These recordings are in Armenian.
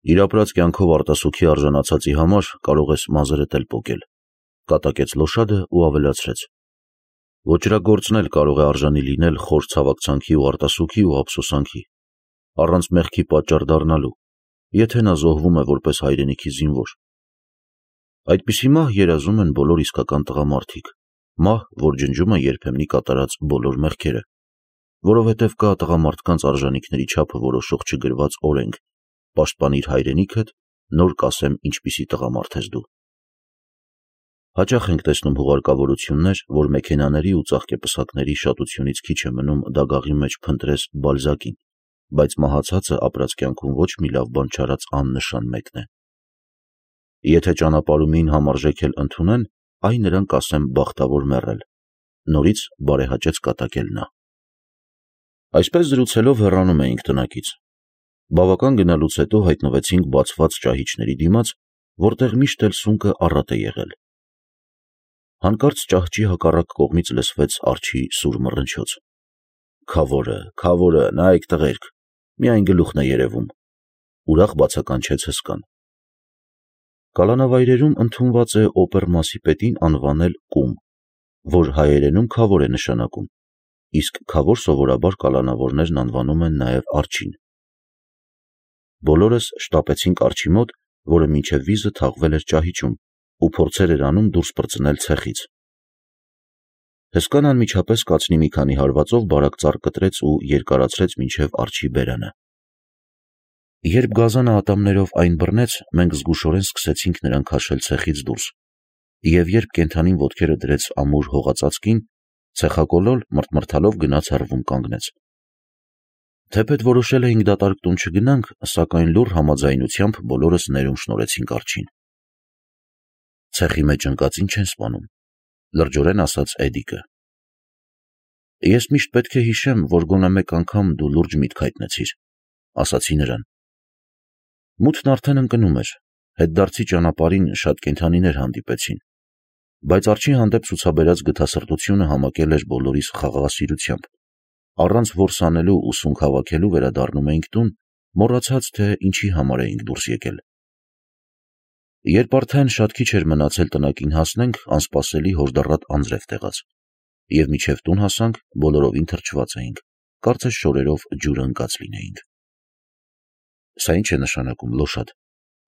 Իր ապրած կյանքով արտասուքի արժանացածի համար կարող ես մազերդ էլ պոկել, կատակեց Լոշադը ու ավելացրեց. ոճրագործն էլ կարող է արժանի լինել խոր ցավակցանքի ու արտասուքի ու ափսոսանքի, առանց մեղքի պատճառ դառնալու, եթե նա զոհվում է որպես հայրենիքի զինվոր։ Այդպիսի մահ երազում են բոլոր իսկական տղամարդիկ, մահ, որ ջնջում է երբեմնի կատարած բոլոր մեղքերը, որովհետև կա տղամարդկանց արժանիքների չափը որոշող չգրված օրենք, պաշտպանիր հայրենիքդ, նոր կասեմ ինչպիսի տղամարդ ես դու։ Հաճախ ենք տեսնում հուղարկավորություններ, որ մեքենաների ու ծաղկեպսակների շատությունից քիչ է մնում դագաղի մեջ փնտրես Բալզակին, բայց մահացածը ապրած կյանքում ոչ մի լավ բան չարած աննշան մեկն է։ Եթե ճանապարհումին համարժեք էլ ընդունեն, այ նրան կասեմ բախտավոր մեռել, նորից բարեհաճեց կատակել նա։ Այսպես զրուցելով հեռանում էինք տնակից։ Բավական գնալուց հետո հայտնվեցինք բացված ճահիճների դիմաց, որտեղ միշտ էլ սունկը առատ է եղել։ Հանկարծ ճահճի հակառակ կողմից լսվեց արջի սուր մռնչոց։ Քավորը, նայեք տղերք, միայն գլուխն է երևում, ուրախ բացականչեց հսկան։ Կալանավայրերում ընդունված է օպերմասի պետին անվանել կում, որ հայերենում քավոր է նշանակում, իսկ քավոր սովորաբար կալանավորներն անվանում են նաև արջին։ Բոլորս շտապեցինք արջի մոտ, որը մինչև վիզը թաղվել էր ճահիճում ու փորձեր էր անում դուրս պրծնել ցեխից։ Հսկան անմիջապես կացնի մի քանի հարվածով բարակ ծառ կտրեց ու երկարացրեց մինչև արջի բերանը։ Երբ գազանը ատամներով այն բռնեց, մենք զգուշորեն սկսեցինք նրան քաշել ցեխից դուրս, և երբ կենդանին ոտքերը դրեց ամուր հողածածկին, ցեխակոլոլ մռթմռթալով գնաց հեռվում կանգնեց։ Թեպետ որոշել էինք դատարկ տուն չգնանք, սակայն լուռ համաձայնությամբ բոլորս ներում շնորհեցինք արջին։ Ցեխի մեջ ընկածին չեն սպանում, լրջորեն ասաց Էդիկը։ Ես միշտ պետք է հիշեմ, որ գոնե մեկ անգամ դու լուրջ միտք հայտնեցիր, ասացի նրան։ Մութն արդեն ընկնում էր, հետդարձի ճանապարհին շատ կենդանիներ հանդիպեցին, բայց արջի հանդեպ ցուցաբերած գթասրտությունը համակել էր բոլորիս խաղաղասիրությամբ, առանց որս անելու ու սունկ հավաքելու վերադառնում էինք տուն, մոռացած, թե ինչի համար էինք դուրս եկել։ Երբ արդեն շատ քիչ էր մնացել տնակին հասնենք, անսպասելի հորդառատ անձրև տեղաց, և մինչև տուն հասանք, բոլորովին թրջված էինք, կարծես շորերով ջուրը ընկած լինեինք։ Սա ի՞նչ է նշանակում, Լոշադ,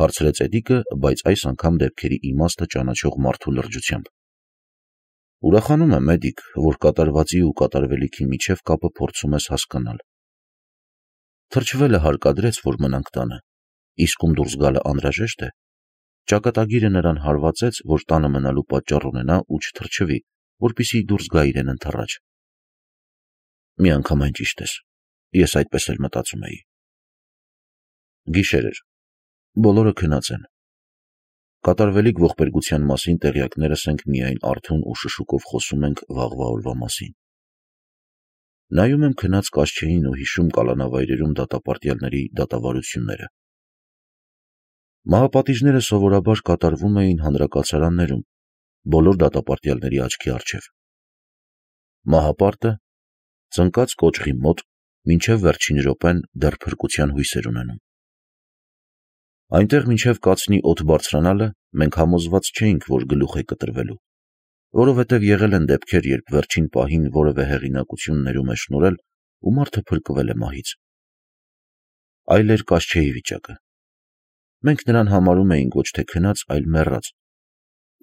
հարցրեց Էդիկը, բայց այս անգամ դեպքերի իմաստը ճանաչող մարդու լրջությամբ։ Ուրախանում եմ, Էդիկ, որ կատարվածի ու կատարվելիքի միջև կապը փորձում ես հասկանալ։ Թրջվելը հարկադրեց, որ մնանք տանը, իսկ ում դուրս գալը անհրաժեշտ է, ճակատագիրը նրան հարվածեց, որ տանը մնալու պատճառ ունենա ու չթրջվի, որպեսզի դուրս գա իրեն ընդառաջ։ Միանգամայն ճիշտ ես, ես այդպես էլ մտածում էի։ Գիշեր էր, բոլորը քնած են։ Կատարվելիք ողբերգության մասին տեղյակներս ենք միայն արթուն ու շշուկով խոսում ենք վաղվա օրվա մասին։ Նայում եմ քնած կաշչեին ու հիշում կալանավայրերում դատապարտյալների դատավարությունները։ Մահապատիժները սովորաբար կատարվում էին հանրակացարաններում, բոլոր դատապարտյալների աչքի առջև։ Մահապարտը ծնկած կոճղի մոտ մինչև վերջին րոպեն դեռ փրկության հույսեր ունենում։ Այնտեղ մինչև կացնի օդ բարձրանալը մենք համոզված չէինք, որ գլուխ է կտրվելու, որովհետև եղել են դեպքեր, երբ վերջին պահին որևէ հեղինակություն ներում է շնորհել ու մարդը փրկվել է մահից։ Այլ էր կաշչեի վիճակը։ Մենք նրան համարում էինք ոչ թե քնած, այլ մեռած,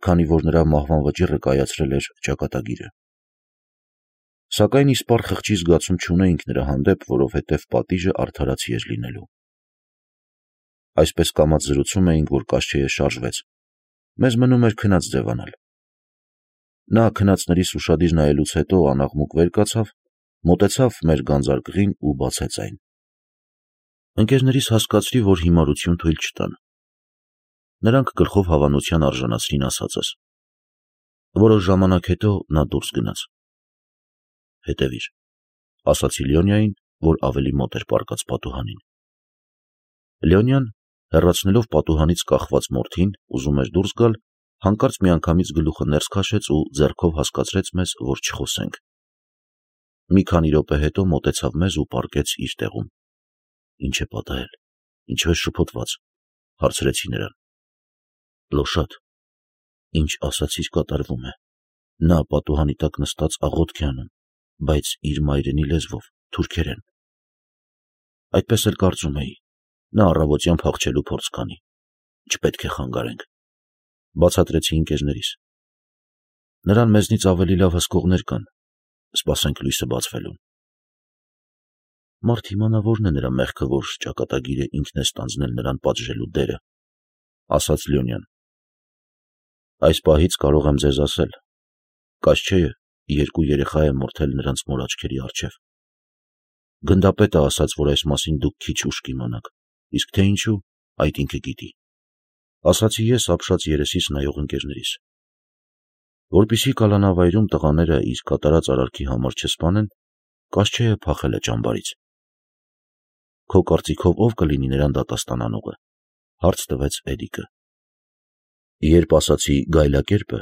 քանի որ նրա մահվան վճիռը կայացրել էր ճակատագիրը։ Սակայն իսպառ խղճի զգացում չունեինք նրա հանդեպ, որովհետև պատիժը արդարացի էր լինելու։ Այսպես կամաց զրուցում էինք, որ կաշչեը շարժվեց։ Մեզ մնում էր քնած ձևանալ։ Նա քնածներիս ուշադիր նայելուց հետո անաղմուկ վեր կացավ, մոտեցավ մեր գանձարկղին ու բացեց այն։ Ընկերներիս հասկացրի, որ հիմարություն թույլ չտան։ Նրանք գլխով հավանության արժանացրին ասածս։ Որոշ ժամանակ հետո նա դուրս գնաց։ Հետևիր, ասացի Լյոնյային, որ ավելի մոտ էր պառկած պատուհանին։ Լյոնյան, հեռացնելով պատուհանից կախված մորթին, ուզում էր դուրս գալ, հանկարծ միանգամից գլուխը ներս քաշեց ու ձեռքով հասկացրեց մեզ, որ չխոսենք։ Մի քանի րոպե հետո մոտեցավ մեզ ու պառկեց իր տեղում։ Ինչ է պատահել, ինչու է շփոթված, հարցրեցի նրան։ Լոշատ, ինչ ասացիր կատարվում է։ Նա պատուհանի տակ նստած աղոթք է անում, բայց իր մայրենի լեզվով, թուրքերեն։ Այդպես էլ կարծում էի, նա առավոտյան փախչելու փորձ կանի, չպետք է խանգարենք, բացատրեցի ընկերներիս։ Նրան մեզնից ավելի լավ հսկողներ կան, սպասենք լույսը բացվելուն։ Մարդ իմանա որն է նրա մեղքը, որ ճակատագիրը ինքն է ստանձնել նրան պատժելու դերը, ասաց Լյոնյան։ Այս պահից կարող եմ ձեզ ասել, Կասչեյը 2 երեխա է մորթել նրանց մոր աչքերի առջև։ Գնդապետը ասաց, որ այս մասին դուք քիչ ուշ կիմանաք, իսկ թե ինչու, այդ ինքը գիտի, ասացի ես ապշած երեսից նայող ընկերներիս։ Որպեսզի կալանավայրում տղաները իր կատարած արարքի համար չսպանեն, Կասչեյը փախել է ճամբարից։ Քո կարծիքով ով կլինի նրան դատաստանանողը, հարց տվեց Էդիկը։ Երբ ասացի գայլակերպը,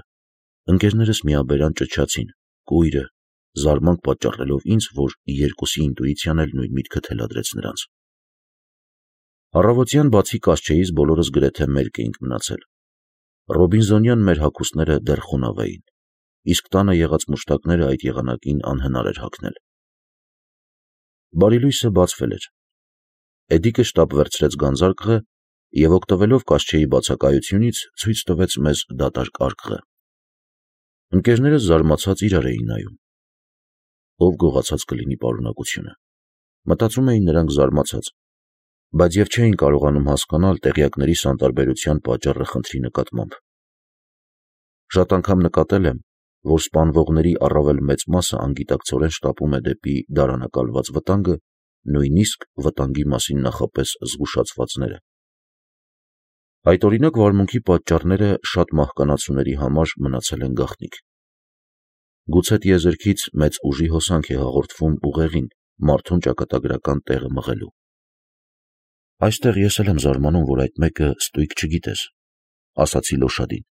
ընկերներս միաբերան ճչացին, կույրը, զարմանք պատճառելով ինձ, որ երկուսի ինտուիցիան էլ նույն միտքը թելադրեց նրանց։ Առավոտյան բացի Կասչեյից բոլորս գրեթե մերկ էինք մնացել։ Ռոբինզոնյան մեր հագուստները դեռ խոնավ էին, իսկ տանը եղած մուշտակները այդ եղանակին անհնար էր հագնել։ Բարի լույսը բացվել էր։ Էդիկը շտապ վերցրեց գանձարկղը և օգտվելով Կասչեյի բացակայությունից ցույց տվեց մեզ դատարկ արկղը։ Ընկերներս զարմացած իրար էին նայում։ Ով գողացած կլինի պարունակությունը, մտածում էին նրանք զարմացած, բայց և չէին կարողանում հասկանալ տեղյակների սանտարբերության պատճառը խնդրի նկատմամբ։ Շատ անգամ նկատել եմ, որ սպանվողների առավել մեծ մասը անգիտակցորեն շտապում է դեպի դարանակալված վտանգը, նույնիսկ վտանգի մասին նախապես զգուշացվածները։ Այդօրինակ վարմունքի պատճառները շատ մահկանացուների համար մնացել են գաղտնիք։ Գուցե տիեզերքից մեծ ուժի հոսանք է հաղորդվում ուղեղին մարդուն ճակատագրական տեղը մղելու։ Այստեղ ես էլ եմ զարմանում, որ այդ մեկը ստույգ չգիտես, ասացի Լոշադին։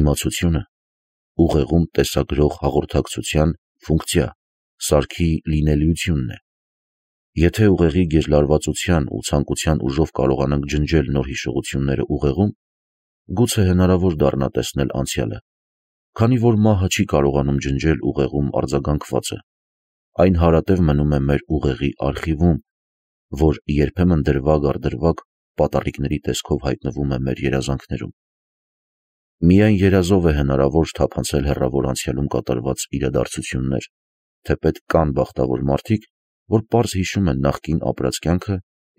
Իմացությունը ուղեղում տեսագրող հաղորդակցության ֆունկցիա, սարքի լինելիությունն է։ Եթե ուղեղի գերլարվածության ու ցանկության ուժով կարողանանք ջնջել նոր հիշողությունները ուղեղում, գուցե հնարավոր դառնա տեսնել անցյալը, քանի որ մահը չի կարողանում ջնջել ուղեղում արձագանքվածը, այն հարատև մնում է մեր ուղեղի արխիվում, որ երբեմն դրվագ առ դրվագ պատառիկների տեսքով հայտնվում է մեր երազանքներում։ Միայն երազով է հնարավոր թափանցել հեռավոր անցյալում կատարված իրադարձություններ, թեպետ կան բախտավոր մարդիկ, որ պարզ հիշում են նախկին ապրած կյանքը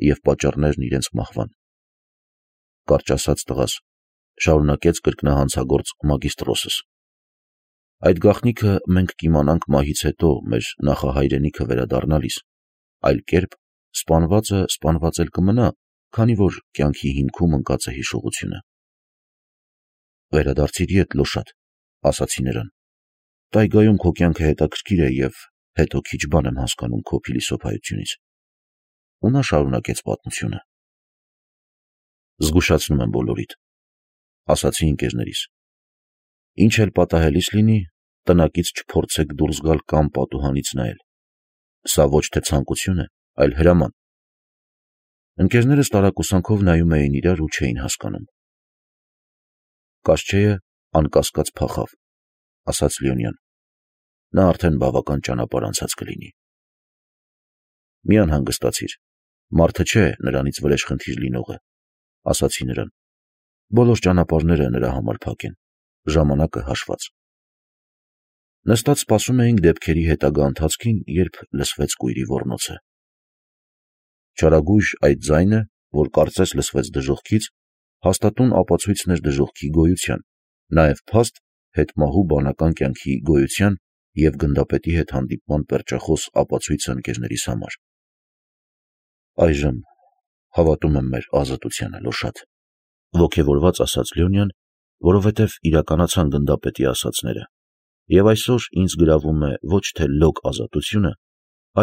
և պատճառներն իրենց մահվան։ Կարճ ասած տղաս, շարունակեց կրկնահանցագործ մագիստրոսս, այդ գաղտնիքը մենք կիմանանք մահից հետո մեր նախահայրենիքը վերադառնալիս, այլ կերպ սպանվածը սպանված էլ կմնա, քանի որ կյանքի հիմքում ընկած է հիշողությունը։ Վերադարձիր ետ, Լոշատ, ասացի նրան։ Տայգայում քո կյանքը հետաքրքիր է և հետո քիչ բան եմ հասկանում քո փիլիսոփայությունից։ Ու նա շարունակեց պատմությունը։ Զգուշացնում եմ բոլորիդ, ասացի ընկերներիս։ Ինչ էլ պատահելիս լինի, տնակից չփորձեք դուրս գալ կամ պատուհանից նայել։ Սա ոչ թե ցանկություն է, այլ հրաման։ Ընկերներս տարակուսանքով նայում էին իրար ու չէին հասկանում։ Կասչեյը անկասկած փախավ, ասաց Լյոնյան։ Նա արդեն բավական ճանապարհ անցած կլինի։ Մի անհանգստացիր, մարդը չէ նրանից վրեժխնդիր լինողը, ասացի նրան։ Բոլոր ճանապարհները նրա համար փակ են, ժամանակը հաշված։ Նստած սպասում էինք դեպքերի հետագա ընթացքին, երբ լսվեց կույրի ոռնոցը։ Չարագույժ այդ ձայնը, որ կարծես լսվեց դժոխքից, հաստատուն ապացույցն էր դժոխքի գոյության, նաև փաստ հետմահու բանական կյանքի գոյության և գնդապետի հետ հանդիպման պերճախոս ապացույցը ընկերներիս համար։ Այժմ հավատում եմ մեր ազատությանը, Լոշատ, ոգևորված ասաց Լյոնյան, որովհետև իրականացան գնդապետի ասածները, և այսօր ինձ գրավում է ոչ թե լոկ ազատությունը,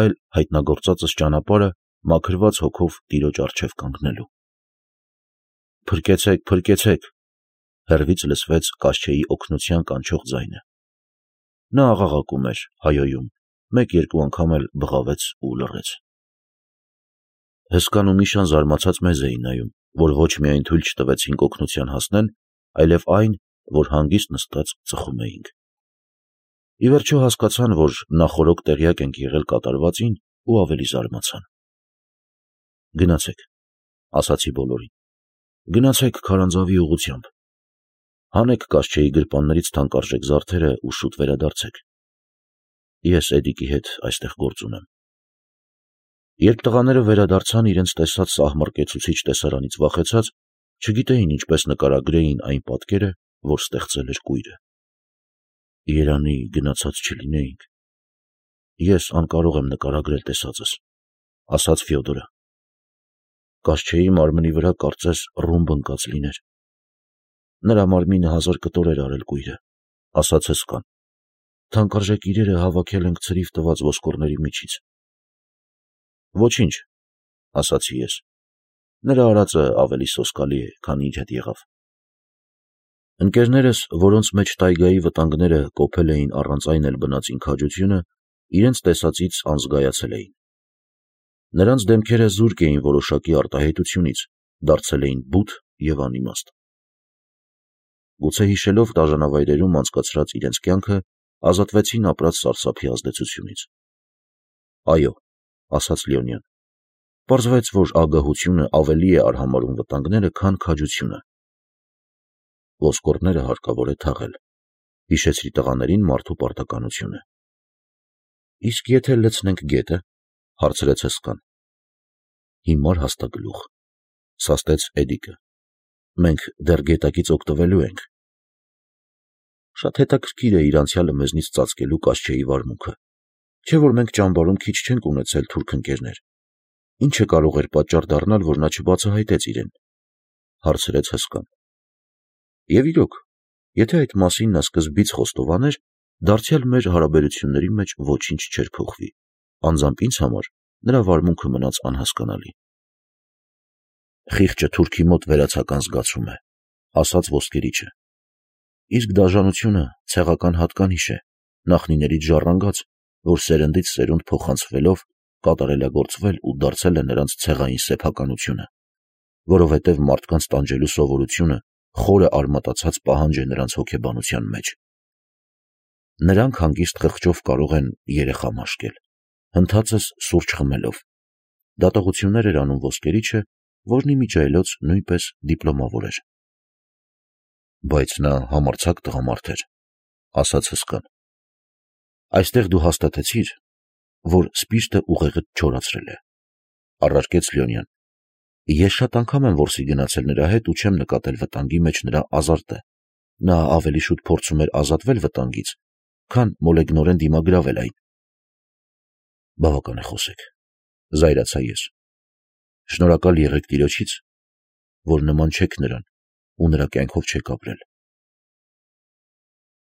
այլ հայտնագործածս ճանապարհը մաքրված հոգով տիրոջ առջև կանգնելու։ Փրկեցեք, փրկեցեք, հեռվից լսվեց Կասչեյի օգնության կանչող ձայնը։ Նա աղաղակում էր, հայոյում, մեկ-երկու անգամ էլ բղավեց ու լռեց։ Հսկան ու Միշան զարմացած մեզ էին նայում, որ ոչ միայն թույլ չտվեցինք օգնության հասնել, այլև այն, որ հանգիստ նստած ծխում էինք։ Ի վերջո հասկացան, որ նախօրոք տեղյակ ենք եղել կատարվածին ու ավելի զարմացան։ Գնացեք, ասացի բոլորին, գնացեք քարանձավի ուղղությամբ, հանեք Կասչեի գրպաններից թանկարժեք զարդերը ու շուտ վերադարձեք։ Ես Էդիկի հետ այստեղ գործ ունեմ։ Երբ տղաները վերադարձան իրենց տեսած սահմռկեցուցիչ տեսարանից վախեցած, չգիտեին ինչպես նկարագրեին այն պատկերը, որ ստեղծել էր կույրը։ Երանի գնացած չլինեինք։ Ես անկարող եմ նկարագրել տեսածս, ասաց Ֆյոդորը։ Կասչեի մարմնի վրա կարծես ռումբ ընկած լիներ։ Նրա մարմինը 1000 կտոր էր արել կույրը, ասաց հսկան։ Թանկարժեք իրերը հավաքել ենք ցրիվ տված ոսկորների միջից։ Ոչինչ, ասացի ես։ Նրա արածը ավելի սոսկալի է, քան ինչ հետ եղավ։ Ընկերներս, որոնց մեջ տայգայի վտանգները կոփել էին առանց այն էլ բնածին քաջությունը, իրենց տեսածից անզգայացել էին։ Նրանց դեմքերը զուրկ էին որոշակի արտահայտությունից, դարձել էին բութ և անիմաստ։ Գուցե հիշելով դաժանավայրերում անցկացրած իրենց կյանքը, ազատվեցին ապրած սարսափի ազդեցությունից։ Այո, ասաց Լեոնյան, պարզվեց, որ ագահությունը ավելի է արհամարհում վտանգները, քան քաջությունը։ Ոսկորները հարկավոր է թաղել, հիշեցրի տղաներին մարդու պարտականությունը։ Իսկ եթե լցնենք գետը, հարցրեց հսկան։ Հիմար հաստագլուխ, սաստեց Էդիկը։ Մենք դեռ գետակից օգտվելու ենք։ Շատ հետաքրքիր է իր անցյալը մեզնից ծածկելու Կասչեի վարմունքը, չէ՞ որ մենք ճամբարում քիչ չենք ունեցել թուրք ընկերներ։ Ինչը կարող էր պատճառ դառնալ, որ նա չբացահայտեց իրեն, հարցրեց հսկան։ Եվ իրոք, եթե այդ մասին նա սկզբից խոստովաներ, դարձյալ մեր հարաբերությունների մեջ ոչինչ չէր փոխվի, անձամբ ինձ համար նրա վարմունքը մնաց անհասկանալի։ Խիղճը թուրքի մոտ վերացական զգացում է, ասաց ոսկերիչը։ Իսկ դաժանությունը ցեղական հատկանիշ է, նախնիներից ժառանգած, որ սերնդից սերունդ փոխանցվելով կատարելագործվել ու դարձել է նրանց ցեղային սեփականությունը, որովհետև մարդկանց տանջելու սովորությունը խորը արմատացած պահանջ է նրանց հոգեբանության մեջ։ Նրանք հանգիստ խղճով կարող են երեխա մաշկել, հնդածս սուրճ խմելով։ Դատողություններ էր անում ոսկերիչը, որն իմիջիայլոց նույնպես դիպլոմավոր էր։ Բայց նա համարձակ տղամարդ էր, ասաց հսկան։ Այստեղ դու հաստատեցիր, որ սպիրտը ուղեղդ չորացրել է, առարկեց Լեոնյան։ Ես շատ անգամ եմ որսի գնացել նրա հետ ու չեմ նկատել վտանգի մեջ նրա ազարտը։ Նա ավելի շուտ փորձում էր ազատվել վտանգից, քան մոլեգնորեն դիմագրավել այն։ Բավական է խոսեք, զայրացա ես։ Շնորհակալ եղեք Տիրոջից, որ նման չեք նրան ու նրա կյանքով չեք ապրել։